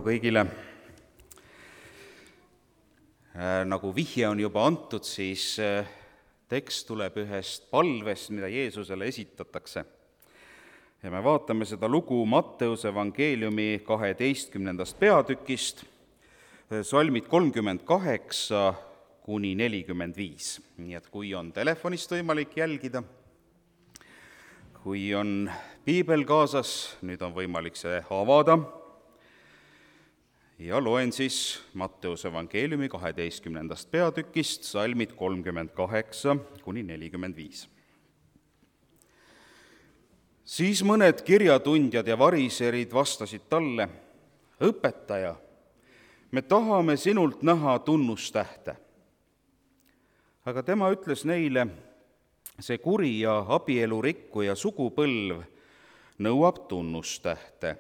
kõigile. Nagu vihje on juba antud, siis tekst tuleb ühest palvest, mida Jeesusele esitatakse. Ja me vaatame seda lugu Matteuse evangeeliumi 12. peatükist, salmid 38 kuni 45. Nii et kui on telefonist võimalik jälgida, kui on piibel kaasas, nüüd on võimalik see avada ja loen siis Matteuse evangeeliumi 12. peatükist, salmid 38 kuni 45. Siis mõned kirjatundjad ja variserid vastasid talle: õpetaja, me tahame sinult näha tunnustähte. Aga tema ütles neile: see kuri ja abielurikkuja sugupõlv nõuab tunnustähte,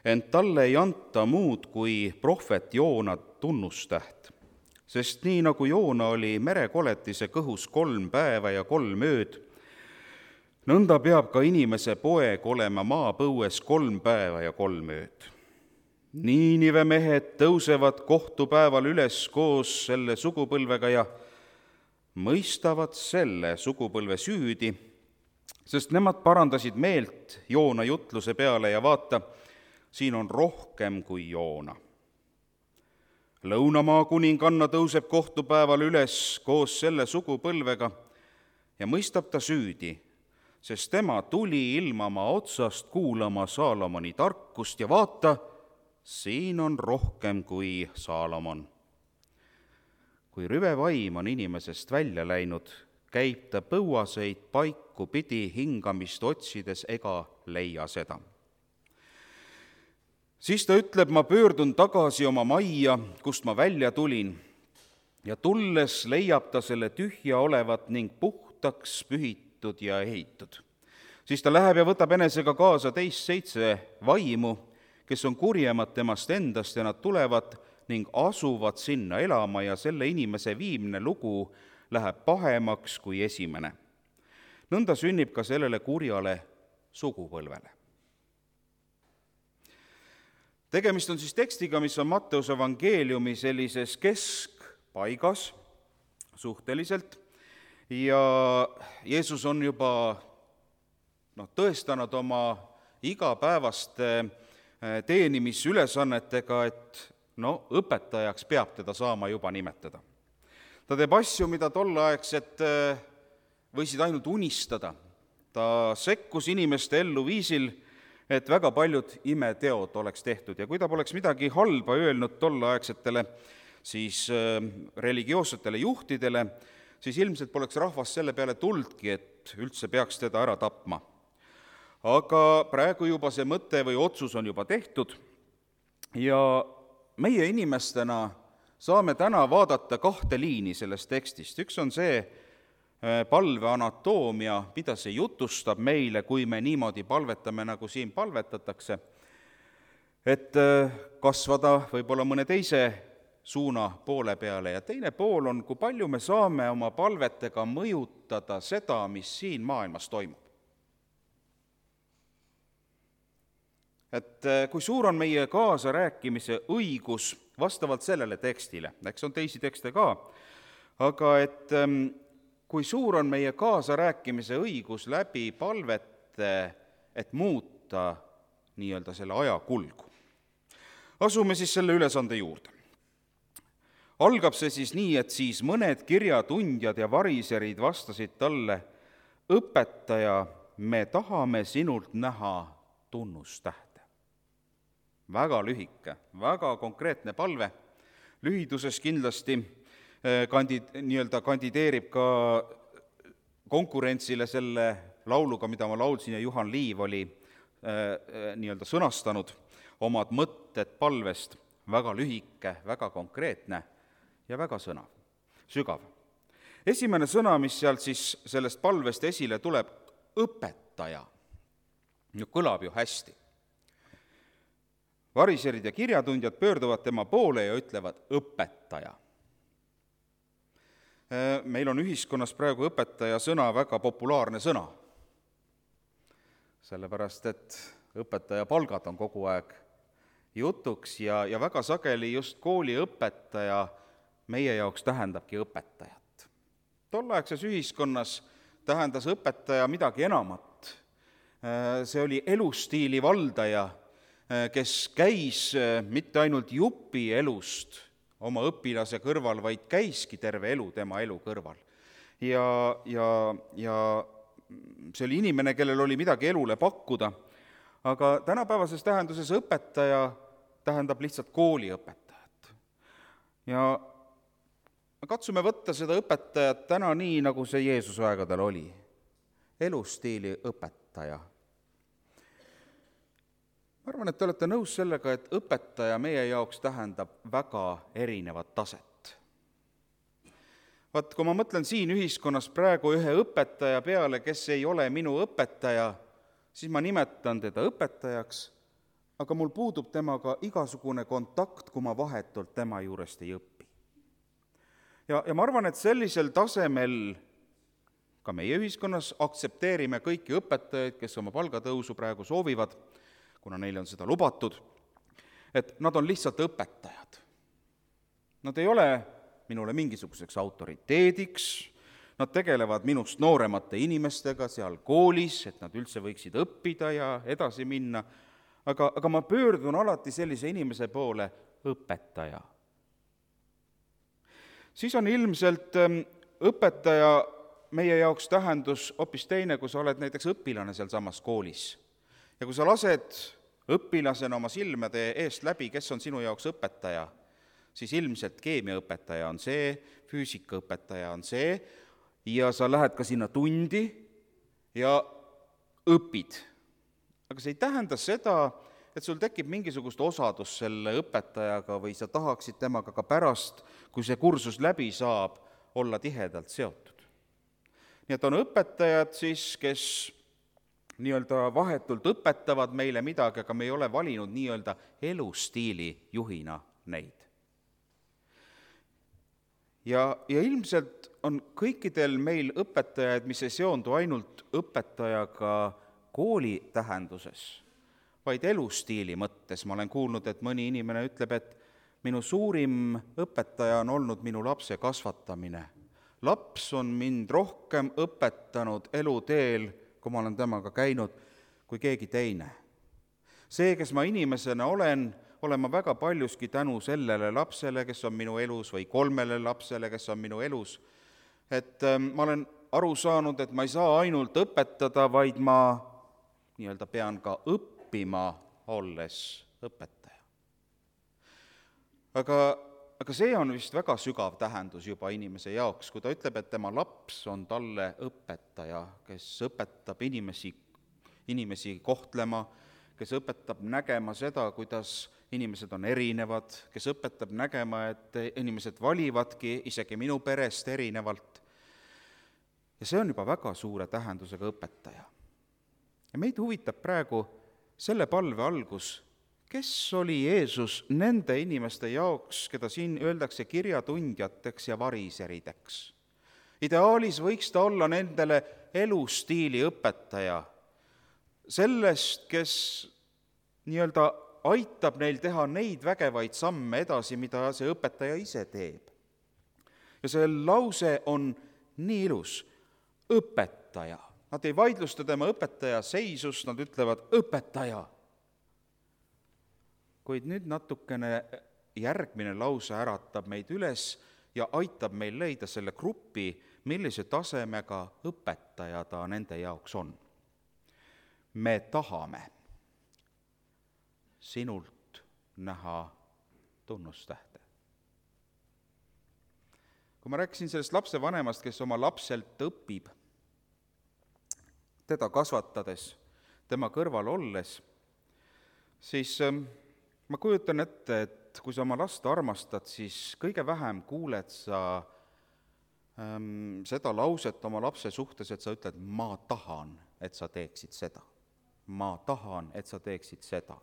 ent talle ei anta muud kui prohvet Joona tunnustäht. Sest nii nagu Joona oli merekoletise kõhus 3 päeva ja 3 ööd, nõnda peab ka inimese poeg olema maapõues 3 päeva ja 3 ööd. Niinive mehed tõusevad kohtupäeval üles koos selle sugupõlvega ja mõistavad selle sugupõlve süüdi, sest nemad parandasid meelt Joona jutluse peale ja vaata, siin on rohkem kui Joona. Lõunamaa kuninganna tõuseb kohtupäeval üles koos selle sugupõlvega ja mõistab ta süüdi, sest tema tuli ilmamaa otsast kuulama Saalomoni tarkust ja vaata, siin on rohkem kui Saalomon. Kui rüvevaim on inimesest välja läinud, käib ta põuaseid paiku pidi hingamist otsides ega leia seda. Siis ta ütleb: ma pöördun tagasi oma majja, kust ma välja tulin, ja tulles leiab ta selle tühja olevat ning puhtaks pühitud ja ehitud. Siis ta läheb ja võtab enesega kaasa teist 7 vaimu, kes on kurjemad temast endast, ja nad tulevad ning asuvad sinna elama ja selle inimese viimne lugu läheb pahemaks kui esimene. Nõnda sünnib ka sellele kurjale sugupõlvele. Tegemist on siis tekstiga, mis on Matteuse evangeeliumi sellises keskpaigas suhteliselt ja Jeesus on juba tõestanud oma igapäevaste teenimisülesannetega, et õpetajaks peab teda saama juba nimetada. Ta teeb asju, mida tolleaegset võisid ainult unistada. Ta sekkus inimeste ellu viisil, et väga paljud imeteod oleks tehtud ja kui ta poleks midagi halba öelnud tolleaegsetele siis religioossetele juhtidele, siis ilmselt poleks rahvas selle peale tuldki, et üldse peaks teda ära tapma. Aga praegu juba see mõte või otsus on juba tehtud ja meie inimestena saame täna vaadata 2 liini sellest tekstist. Üks on see palve anatoomia, mida see jutustab meile, kui me niimoodi palvetame, nagu siin palvetatakse, et kasvada võib-olla mõne teise suuna poole peale. Ja teine pool on, kui palju me saame oma palvetega mõjutada seda, mis siin maailmas toimub. Et kui suur on meie kaasarääkimise õigus vastavalt sellele tekstile, eks on teisi tekste ka, aga et kui suur on meie kaasarääkimise õigus läbi palvete, et muuta nii-öelda selle aja kulgu. Asume siis selle ülesande juurde. Algab see siis nii, et siis mõned kirjatundjad ja variserid vastasid talle: õpetaja, me tahame sinult näha tunnustähte. Väga lühike, väga konkreetne palve. Lühiduses kindlasti kandideerib ka konkurentsile selle lauluga, mida ma laulsin ja Juhan Liiv oli sõnastanud omad mõtted palvest. Väga lühike, väga konkreetne ja väga sügav. Esimene sõna, mis sealt siis sellest palvest esile tuleb, õpetaja. Kõlab ju hästi. Variserid ja kirjatundjad pöörduvad tema poole ja ütlevad õpetaja. Meil on ühiskonnas praegu õpetaja sõna väga populaarne sõna, sellepärast et õpetaja palgad on kogu aeg jutuks ja väga sageli just kooliõpetaja meie jaoks tähendabki õpetajat. Tolleaegses ühiskonnas tähendas õpetaja midagi enamat. See oli elustiili valdaja, kes käis mitte ainult jupi elust oma õpilase kõrval, vaid käiski terve elu tema elu kõrval. Ja see oli inimene, kellel oli midagi elule pakkuda, aga tänapäevases tähenduses õpetaja tähendab lihtsalt kooliõpetajat. Ja katsume võtta seda õpetajat täna nii, nagu see Jeesuse aegadel oli. Elustiili õpetaja. Ma arvan, et te olete nõus sellega, et õpetaja meie jaoks tähendab väga erinevat taset. Vaat, kui ma mõtlen siin ühiskonnas praegu ühe õpetaja peale, kes ei ole minu õpetaja, siis ma nimetan teda õpetajaks, aga mul puudub temaga igasugune kontakt, kui ma vahetult tema juurest ei õpi. Ja ma arvan, et sellisel tasemel ka meie ühiskonnas aktsepteerime kõiki õpetajaid, kes oma palgatõusu praegu soovivad, kuna neile on seda lubatud, et nad on lihtsalt õpetajad. Nad ei ole minule mingisuguseks autoriteediks, nad tegelevad minust nooremate inimestega seal koolis, et nad üldse võiksid õppida ja edasi minna, aga ma pöördun alati sellise inimese poole õpetaja. Siis on ilmselt õpetaja meie jaoks tähendus hoopis teine, kui sa oled näiteks õpilane sealsamas koolis. Ja kui sa lased õpilasena oma silmade eest läbi, kes on sinu jaoks õpetaja, siis ilmselt keemiaõpetaja on see, füüsikaõpetaja on see, ja sa lähed ka sinna tundi ja õpid. Aga see ei tähenda seda, et sul tekib mingisugust osadus selle õpetajaga või sa tahaksid temaga ka pärast, kui see kursus läbi saab, olla tihedalt seotud. Nii et on õpetajad siis, kes nii-öelda vahetult õpetavad meile midagi, aga me ei ole valinud nii-öelda elustiili juhina neid. Ja ilmselt on kõikidel meil õpetajaid, mis ei seondu ainult õpetajaga kooli tähenduses, vaid elustiili mõttes. Ma olen kuulnud, et mõni inimene ütleb, et minu suurim õpetaja on olnud minu lapse kasvatamine. Laps on mind rohkem õpetanud eluteel, kui ma olen temaga käinud, kui keegi teine. See, kes ma inimesena olen ma väga paljuski tänu sellele lapsele, kes on minu elus, või 3 lapsele, kes on minu elus. Et ma olen aru saanud, et ma ei saa ainult õpetada, vaid ma nii-öelda pean ka õppima, olles õpetaja. Aga see on vist väga sügav tähendus juba inimese jaoks, kui ta ütleb, et tema laps on talle õpetaja, kes õpetab inimesi kohtlema, kes õpetab nägema seda, kuidas inimesed on erinevad, kes õpetab nägema, et inimesed valivadki isegi minu perest erinevalt. Ja see on juba väga suure tähendusega õpetaja. Ja meid huvitab praegu selle palve algus, kes oli Jeesus nende inimeste jaoks, keda siin öeldakse kirjatundjateks ja variserideks. Ideaalis võiks ta olla nendele elustiili õpetaja, sellest, kes nii-öelda aitab neil teha neid vägevaid samme edasi, mida see õpetaja ise teeb. Ja see lause on nii ilus, õpetaja. Nad ei vaidlusta tema õpetaja seisust, nad ütlevad õpetaja. Kuid nüüd natukene järgmine lause äratab meid üles ja aitab meil leida selle grupi, millise tasemega õpetaja ta nende jaoks on. Me tahame sinult näha tunnustähte. Kui ma rääkisin sellest lapsevanemast, kes oma lapselt õpib, teda kasvatades, tema kõrval olles, siis ma kujutan ette, et kui sa oma last armastad, siis kõige vähem kuuled sa seda lauset oma lapse suhtes, et sa ütled, ma tahan, et sa teeksid seda. Ma tahan, et sa teeksid seda.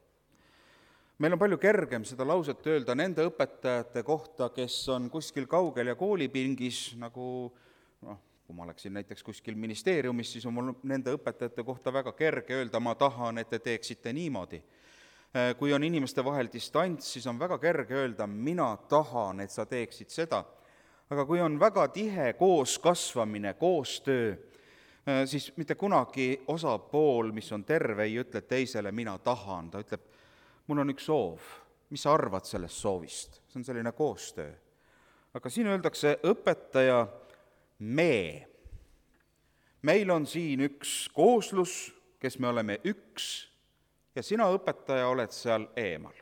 Meil on palju kergem seda lauset öelda nende õpetajate kohta, kes on kuskil kaugel ja koolipingis, nagu kui ma oleksin näiteks kuskil ministeeriumis, siis on mul nende õpetajate kohta väga kerge öelda, ma tahan, et te teeksite niimoodi. kui on inimeste vahel distants, siis on väga kerge öelda, mina tahan, et sa teeksid seda. Aga kui on väga tihe kooskasvamine, koostöö, siis mitte kunagi osapool, mis on terve, ei ütle teisele, mina tahan. Ta ütleb, mul on üks soov, mis sa arvad sellest soovist? See on selline koostöö. Aga siin öeldakse õpetaja me. Meil on siin üks kooslus, kes me oleme üks, ja sina, õpetaja, oled seal eemal.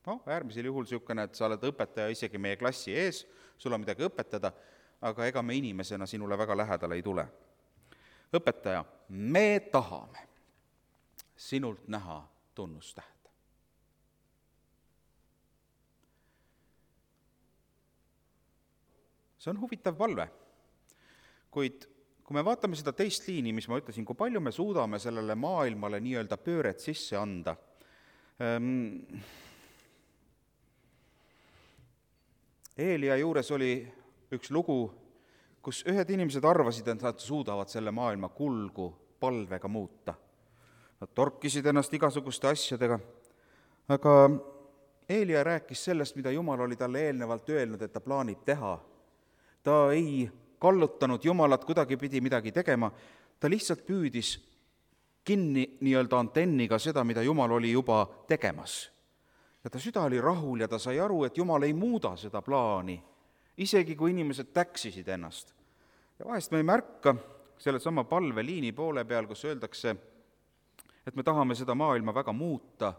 Äärmisel juhul niisugune, et sa oled õpetaja isegi meie klassi ees, sul on midagi õpetada, aga ega me inimesena sinule väga lähedale ei tule. Õpetaja, me tahame sinult näha tunnustähte. See on huvitav palve, kuid kui me vaatame seda teist liini, mis ma ütlesin, kui palju me suudame sellele maailmale nii-öelda pööret sisse anda, Eelia juures oli üks lugu, kus ühed inimesed arvasid, et nad suudavad selle maailma kulgu palvega muuta. Nad torkisid ennast igasuguste asjadega, aga Eelia rääkis sellest, mida Jumal oli talle eelnevalt öelnud, et ta plaanib teha. Ta ei kallutanud Jumalat kuidagipidi midagi tegema, ta lihtsalt püüdis kinni nii-öelda antenniga seda, mida Jumal oli juba tegemas. Ja ta süda oli rahul ja ta sai aru, et Jumal ei muuda seda plaani, isegi kui inimesed täksisid ennast. Ja vahest me ei märka selle sama palveliini poole peal, kus öeldakse, et me tahame seda maailma väga muuta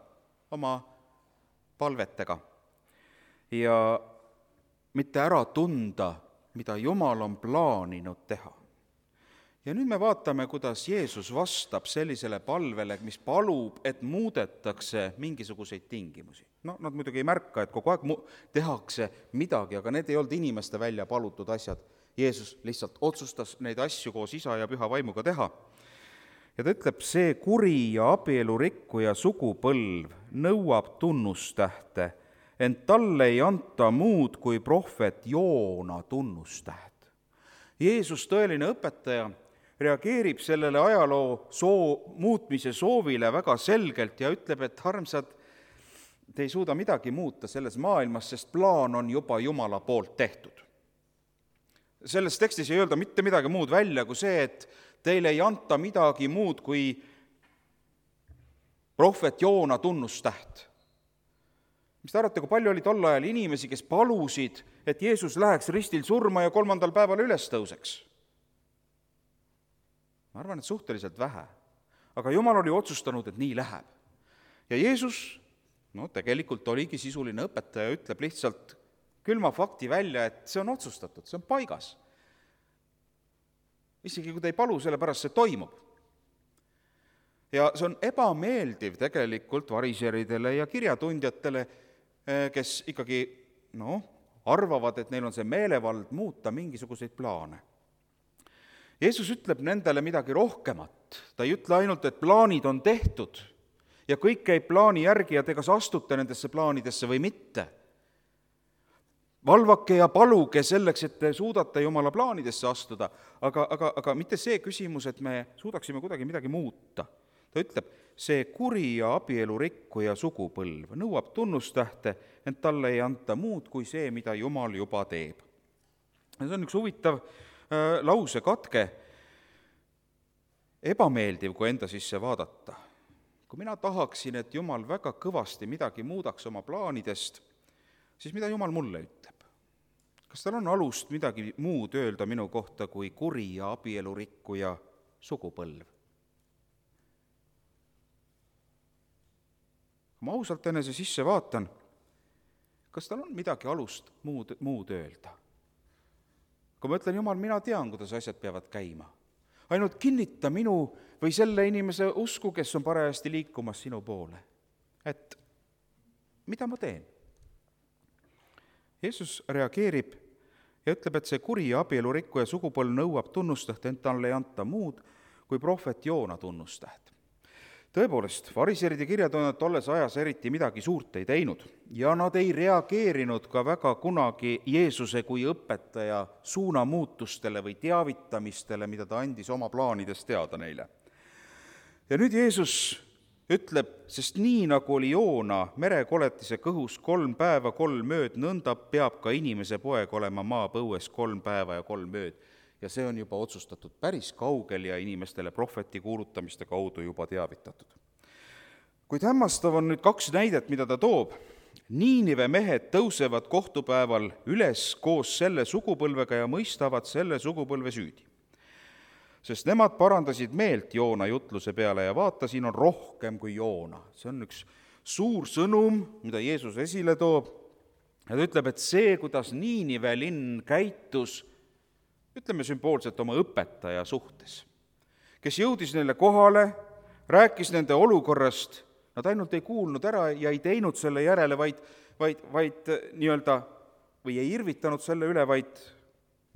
oma palvetega ja mitte ära tunda, mida Jumal on plaaninud teha. Ja nüüd me vaatame, kuidas Jeesus vastab sellisele palvele, mis palub, et muudetakse mingisuguseid tingimusi. Nad muidugi ei märka, et kogu aeg tehakse midagi, aga need ei olnud inimeste välja palutud asjad. Jeesus lihtsalt otsustas neid asju koos Isa ja Püha Vaimuga teha. Ja ta ütleb, see kuri ja abielurikkuja sugupõlv nõuab tunnustähte, ent talle ei anta muud kui prohvet Joona tunnustäht. Jeesus, tõeline õpetaja, reageerib sellele ajaloo muutmise soovile väga selgelt ja ütleb, et armsad, te ei suuda midagi muuta selles maailmas, sest plaan on juba Jumala poolt tehtud. Selles tekstis ei öelda mitte midagi muud välja kui see, et teile ei anta midagi muud kui prohvet Joona tunnustäht. Mis te arvate, kui palju oli tol ajal inimesi, kes palusid, et Jeesus läheks ristil surma ja 3. päeval üles tõuseks? Ma arvan, et suhteliselt vähe. Aga Jumal oli otsustanud, et nii läheb. Ja Jeesus, tegelikult oligi sisuline õpetaja, ütleb lihtsalt külma fakti välja, et see on otsustatud, see on paigas. Isegi kui te ei palu, sellepärast see toimub. Ja see on ebameeldiv tegelikult variseridele ja kirjatundjatele, kes ikkagi arvavad, et neil on see meelevald muuta mingisuguseid plaane. Jeesus ütleb nendele midagi rohkemat. Ta ei ütle ainult, et plaanid on tehtud ja kõik käib plaani järgi ja te kas astute nendesse plaanidesse või mitte. Valvake ja paluge selleks, et te suudate Jumala plaanidesse astuda, aga mitte see küsimus, et me suudaksime kuidagi midagi muuta. Ta ütleb, see kuri ja abielurikkuja sugupõlv nõuab tunnustähte, ent talle ei anta muud kui see, mida Jumal juba teeb. See on üks huvitav lausekatke, ebameeldiv, kui enda sisse vaadata. Kui mina tahaksin, et Jumal väga kõvasti midagi muudaks oma plaanidest, siis mida Jumal mulle ütleb? Kas tal on alust midagi muud öelda minu kohta kui kuri ja abielurikkuja sugupõlv? Kui ma ausalt enese sisse vaatan, kas tal on midagi alust muud öelda? Kui ma ütlen, Jumal, mina tean, kuidas asjad peavad käima. Ainult kinnita minu või selle inimese usku, kes on parajasti liikumas sinu poole. Et mida ma teen? Jeesus reageerib ja ütleb, et see kuri ja abielurikkuja sugupõlv nõuab tunnustäht, ent talle ei anta muud kui prohvet Joona tunnustäht. Tõepoolest, variserid ja kirjatundjad tolles ajas eriti midagi suurt ei teinud ja nad ei reageerinud ka väga kunagi Jeesuse kui õpetaja suunamuutustele või teavitamistele, mida ta andis oma plaanidest teada neile. Ja nüüd Jeesus ütleb, sest nii nagu oli Joona merekoletise kõhus 3 päeva 3 ööd, nõnda peab ka inimese poeg olema maapõues 3 päeva ja 3 ööd. Ja see on juba otsustatud päris kaugel ja inimestele prohveti kuulutamiste kaudu juba teavitatud. Kuid hämmastav on nüüd 2 näidet, mida ta toob. Niinive mehed tõusevad kohtupäeval üles koos selle sugupõlvega ja mõistavad selle sugupõlve süüdi. Sest nemad parandasid meelt Joona jutluse peale ja vaata, siin on rohkem kui Joona. See on üks suur sõnum, mida Jeesus esile toob. Ja ta ütleb, et see, kuidas Niinive linn käitus, ütleme sümboolselt oma õpetaja suhtes, kes jõudis neile kohale, rääkis nende olukorrast, nad ainult ei kuulnud ära ja ei teinud selle järele, vaid nii-öelda, või ei irvitanud selle üle, vaid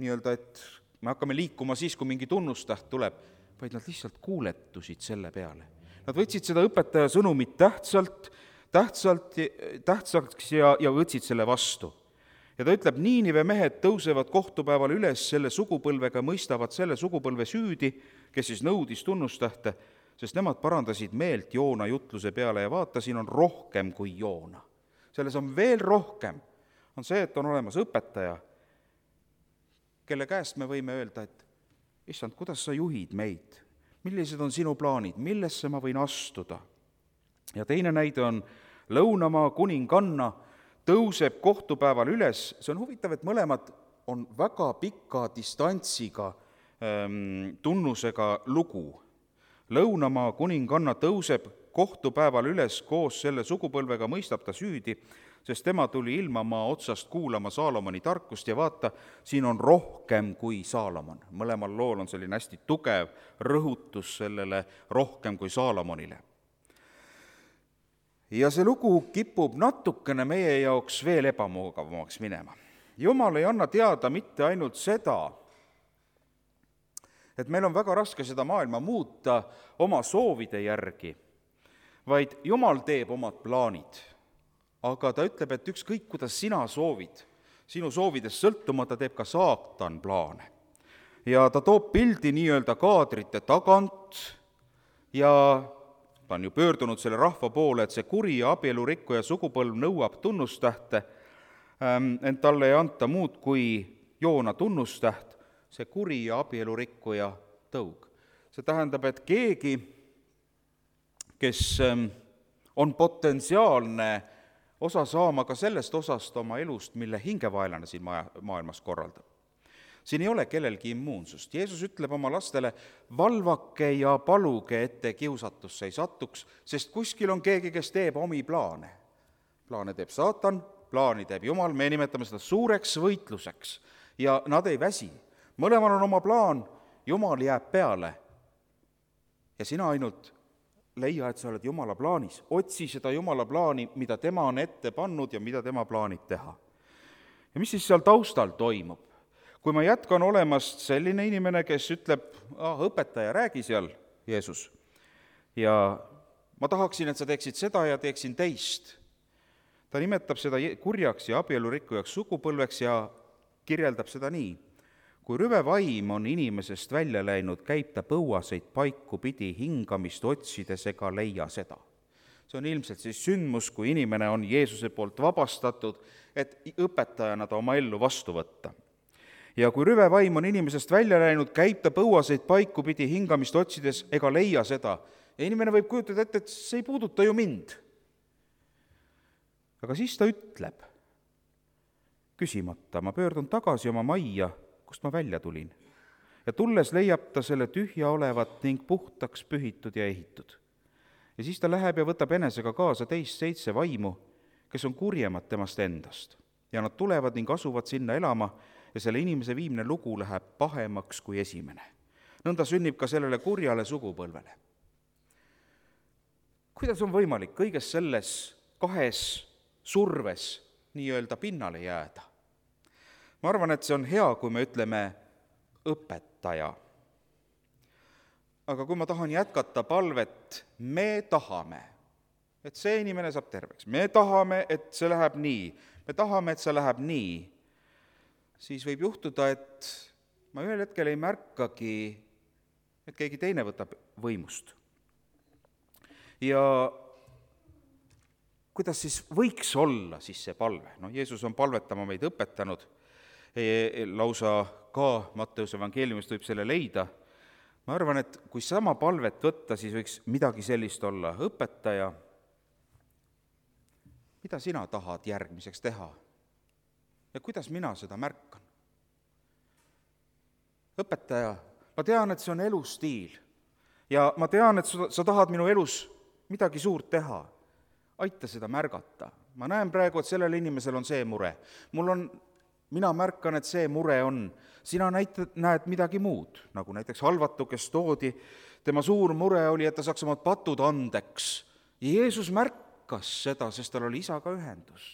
nii-öelda, et me hakkame liikuma siis, kui mingi tunnustäht tuleb, vaid nad lihtsalt kuuletusid selle peale. Nad võtsid seda õpetaja sõnumit tähtsaks ja võtsid selle vastu. Ja ta ütleb, Niinive mehed tõusevad kohtupäeval üles selle sugupõlvega, mõistavad selle sugupõlve süüdi, kes siis nõudis tunnustähte, sest nemad parandasid meelt Joona jutluse peale ja vaata, siin on rohkem kui Joona. Selles on veel rohkem. On see, et on olemas õpetaja, kelle käest me võime öelda, et issand, kuidas sa juhid meid? Millised on sinu plaanid? Millesse ma võin astuda? Ja teine näide on Lõunamaa kuninganna tõuseb kohtupäeval üles. See on huvitav, et mõlemad on väga pika distantsiga tunnusega lugu. Lõunamaa kuninganna tõuseb kohtupäeval üles koos selle sugupõlvega, mõistab ta süüdi, sest tema tuli ilmamaa otsast kuulama Saalomoni tarkust ja vaata, siin on rohkem kui Saalomon. Mõlemal lool on selline hästi tugev rõhutus sellele rohkem kui Saalomonile. Ja see lugu kipub natukene meie jaoks veel ebamugavamaks minema. Jumal ei anna teada mitte ainult seda, et meil on väga raske seda maailma muuta oma soovide järgi, vaid Jumal teeb omad plaanid. Aga ta ütleb, et ükskõik, kuidas sina soovid, sinu soovidest sõltumata teeb ka saatan plaane. Ja ta toob pildi nii-öelda kaadrite tagant ja ta on ju pöördunud selle rahva poole, et see kuri ja abielurikkuja sugupõlv nõuab tunnustähte, ent talle ei anta muud kui Joona tunnustäht, see kuri ja abielurikkuja tõug. See tähendab, et keegi, kes on potentsiaalne osa saama ka sellest osast oma elust, mille hingevaelane siin maailmas korraldab. Siin ei ole kellelgi immuunsust. Jeesus ütleb oma lastele, valvake ja paluge, ette kiusatusse ei satuks, sest kuskil on keegi, kes teeb omi plaane. Plaane teeb saatan, plaani teeb Jumal, me nimetame seda suureks võitluseks ja nad ei väsi. Mõlemal on oma plaan, Jumal jääb peale ja sina ainult leia, et sa oled Jumala plaanis. Otsi seda Jumala plaani, mida tema on ette pannud ja mida tema plaanib teha. Ja mis siis seal taustal toimub? Kui ma jätkan olemast selline inimene, kes ütleb, õpetaja, räägi seal, Jeesus, ja ma tahaksin, et sa teeksid seda ja teeksin teist. Ta nimetab seda kurjaks ja abielurikkujaks sugupõlveks ja kirjeldab seda nii. Kui rüve vaim on inimesest välja läinud, käib ta põuaseid paiku pidi hingamist otsides ega leia seda. See on ilmselt siis sündmus, kui inimene on Jeesuse poolt vabastatud, et õpetajana ta oma ellu vastu võtta. Ja kui rüve vaim on inimesest välja läinud, käib ta põuaseid paiku pidi hingamist otsides ega leia seda. Ja inimene võib kujutada ette, et see ei puuduta ju mind. Aga siis ta ütleb, küsimata, ma pöördun tagasi oma majja, kust ma välja tulin. Ja tulles leiab ta selle tühja olevat ning puhtaks pühitud ja ehitud. Ja siis ta läheb ja võtab enesega kaasa teist 7 vaimu, kes on kurjemad temast endast. Ja nad tulevad ning asuvad sinna elama ja selle inimese viimne lugu läheb pahemaks kui esimene. Nõnda sünnib ka sellele kurjale sugupõlvele. Kuidas on võimalik kõiges selles 2 surves nii-öelda pinnale jääda? Ma arvan, et see on hea, kui me ütleme õpetaja. Aga kui ma tahan jätkata palvet, me tahame, et see inimene saab terveks, me tahame, et see läheb nii, me tahame, et see läheb nii, siis võib juhtuda, et ma ühel hetkel ei märkagi, et keegi teine võtab võimust. Ja kuidas siis võiks olla siis see palve? Jeesus on palvetama meid õpetanud, lausa ka Matteuse evangeeliumist võib selle leida. Ma arvan, et kui sama palvet võtta, siis võiks midagi sellist olla. Õpetaja, mida sina tahad järgmiseks teha? Ja kuidas mina seda märkan? Õpetaja, ma tean, et see on elustiil ja ma tean, et sa tahad minu elus midagi suurt teha. Aita seda märgata. Ma näen praegu, et sellel inimesel on see mure. Mina märkan, et see mure on. Sina näed midagi muud, nagu näiteks halvatu, kes toodi. Tema suur mure oli, et ta saaks omad patud andeks. Ja Jeesus märkas seda, sest tal oli isaga ühendus.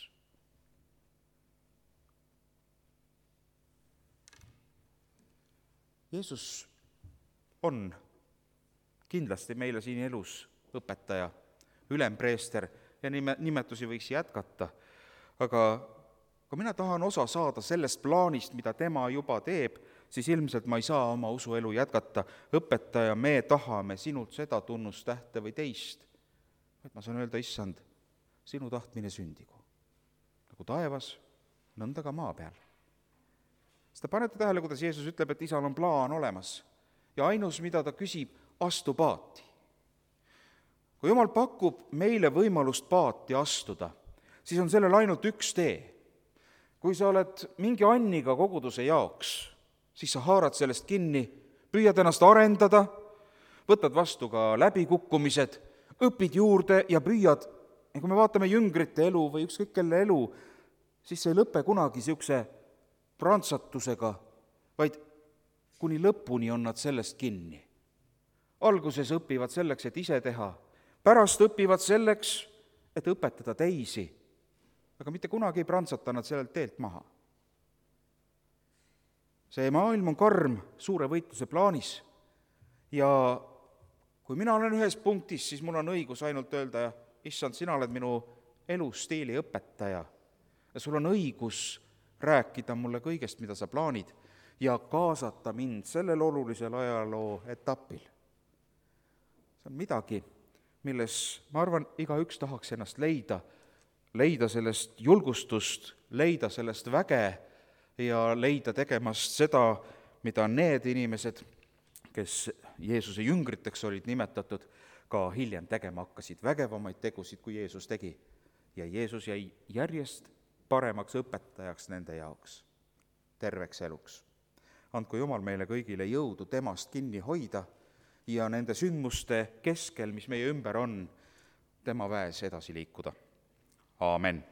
Jeesus on kindlasti meile siin elus õpetaja, ülempreester, ja nimetusi võiks jätkata, aga kui mina tahan osa saada sellest plaanist, mida tema juba teeb, siis ilmselt ma ei saa oma usuelu jätkata. Õpetaja, me tahame sinult seda tunnustähte või teist. Et ma saan öelda, issand, sinu tahtmine sündigu. Nagu taevas, nõnda ka maa peal. Seda panete tähele, kuidas Jeesus ütleb, et isal on plaan olemas ja ainus, mida ta küsib, astu paati. Kui Jumal pakub meile võimalust paati astuda, siis on sellel ainult üks tee. Kui sa oled mingi anniga koguduse jaoks, siis sa haarad sellest kinni, püüad ennast arendada, võtad vastu ka läbikukkumised, õpid juurde ja püüad, ja kui me vaatame jüngrite elu või ükskõik kelle elu, siis see ei lõpe kunagi niisuguse prantsatusega, vaid kuni lõpuni on nad sellest kinni. Alguses õpivad selleks, et ise teha, pärast õpivad selleks, et õpetada teisi, aga mitte kunagi ei prantsata nad sellelt teelt maha. See maailm on karm suure võitluse plaanis ja kui mina olen ühes punktis, siis mul on õigus ainult öelda, issand, sina oled minu elustiili õpetaja ja sul on õigus rääkida mulle kõigest, mida sa plaanid ja kaasata mind sellel olulisel ajaloo etapil. See on midagi, milles, ma arvan, igaüks tahaks ennast leida sellest julgustust, leida sellest väge ja leida tegemast seda, mida need inimesed, kes Jeesuse jüngriteks olid nimetatud, ka hiljem tegema hakkasid, vägevamaid tegusid, kui Jeesus tegi. Ja Jeesus jäi järjest paremaks õpetajaks nende jaoks, terveks eluks. Andku Jumal meile kõigile jõudu temast kinni hoida ja nende sündmuste keskel, mis meie ümber on, tema väes edasi liikuda. Aamen.